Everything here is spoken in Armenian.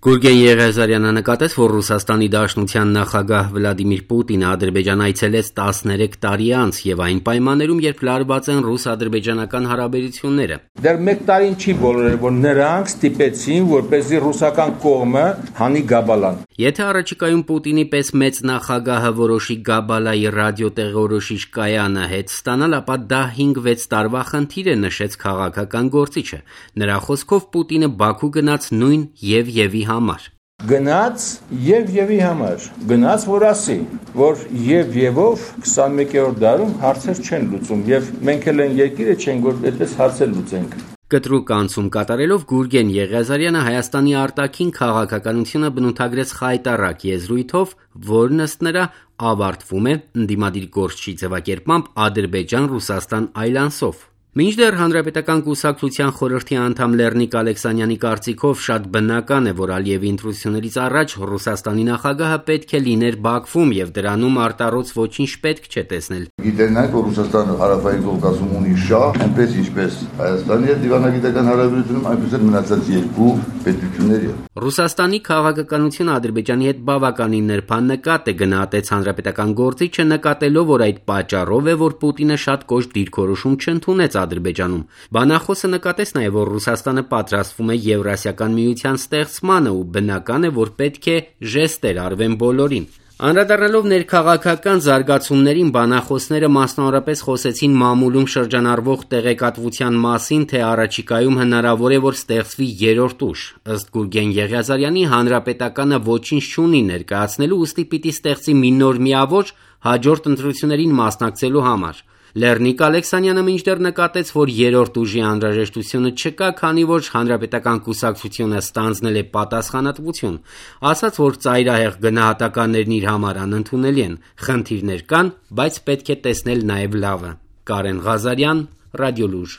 Գուրգեն Եղիազարյանը նկատեց, որ Ռուսաստանի Դաշնության նախագահ Վլադիմիր Պուտինը Ադրբեջան այցելեց 13 տարի անց եւ այն պայմաններում, երբ լարված են ռուս-ադրբեջանական հարաբերությունները։ Դեռ մեկ տարին չի բոլորը, որ նրանք ստիպեցին, որպեսզի ռուսական կողմը հանի Գաբալան։ Եթե առաջիկայում Պուտինի պես մեծ նախագահը որոշի Գաբալայի ռադիոտեղորոշիչ կայանը հետ ստանալ, ապա դա 5-6 տարվա խնդիր է, նշեց քաղաքական գործիչը։ Նրա խոսքով Պուտինը Բաքու գնաց նույն Եվի համար։ Գնաց Եվի համար, գնաց որ ասի, որ Եվով 21-րդ դարում հարցեր չեն լուծում եւ մենք էլ են երկիրը չենք, որ այդպես հարցեր լուծենք։ Կտրուկ անցում կատարելով Գուրգեն Եղիազարյանը Հայաստանի արտաքին քաղաքականությունը բնութագրեց խայտառակ եզրույթով, որն ըստ նրա ավարտվում է ընդդիմադիր գործչի ձևակերպմամբ Ադրբեջան-Ռուսաստան այլանսով։ Մինչդեռ Հանրապետական կուսակցության խորհրդի անդամ Լեռնիկ Ալեքսանյանի կարծիքով շատ բնական է, որ Ալիևի ընտրություններից առաջ Ռուսաստանի նախագահը պետք է լիներ Բաքվում եւ դրանում արտառոց ոչինչ պետք չէ տեսնել։ Գիտենանք, որ Ռուսաստանը հարավային Կովկասում ունի շահ, այնպես ինչպես Հայաստանի հետ դիվանագիտական հարաբերությունում, այնպես էլ մնացած երկու պետությունների հետ։ Ռուսաստանի քաղաքականությունը Ադրբեջանի հետ բավականին նրբանկատ է, գնահատեց հանրապետական գործիչը, նկատելով, որ այդ պատճառով է, որ Պուտինը շատ կոշտ դիրքորոշում չընդունեց Ադրբեջանում։ Բանախոսը նկատեց նաև, որ Ռուսաստանը պատրաստվում է Եվրասիական միության ստեղծմանը ու բնական է, որ պետք է ժեստեր արվեն բոլորին։ Անդրադառնալով ներքաղաքական զարգացումներին, բանախոսները մասնավորապես խոսեցին մամուլում շրջանառվող տեղեկատվության մասին, թե առաջիկայում հնարավոր է, որ ստեղծվի երրորդ ուժ։ Ըստ Գուրգեն Եղիազարյանի, հանրապետականը ոչինչ չունի ներկայացնելու, ուստի պիտի ստեղծի մի նոր միավոր հաջորդ ընտրություններին մասնակցելու համար։ Լեռնիկ Ալեքսանյանը մինչդեռ նկատեց, որ երրորդ ուժի անհրաժեշտությունը չկա, քանի որ հանրապետական կուսակցությունը ստանձնել է պատասխանատվություն, ասաց, որ ծայրահեղ գնահատականներն իր համար անընդունելի են, խնդիրներ կան, բայց պետք է տեսնել նաև լավը։ Կարեն Ղազարյան, Ռադիոլուր։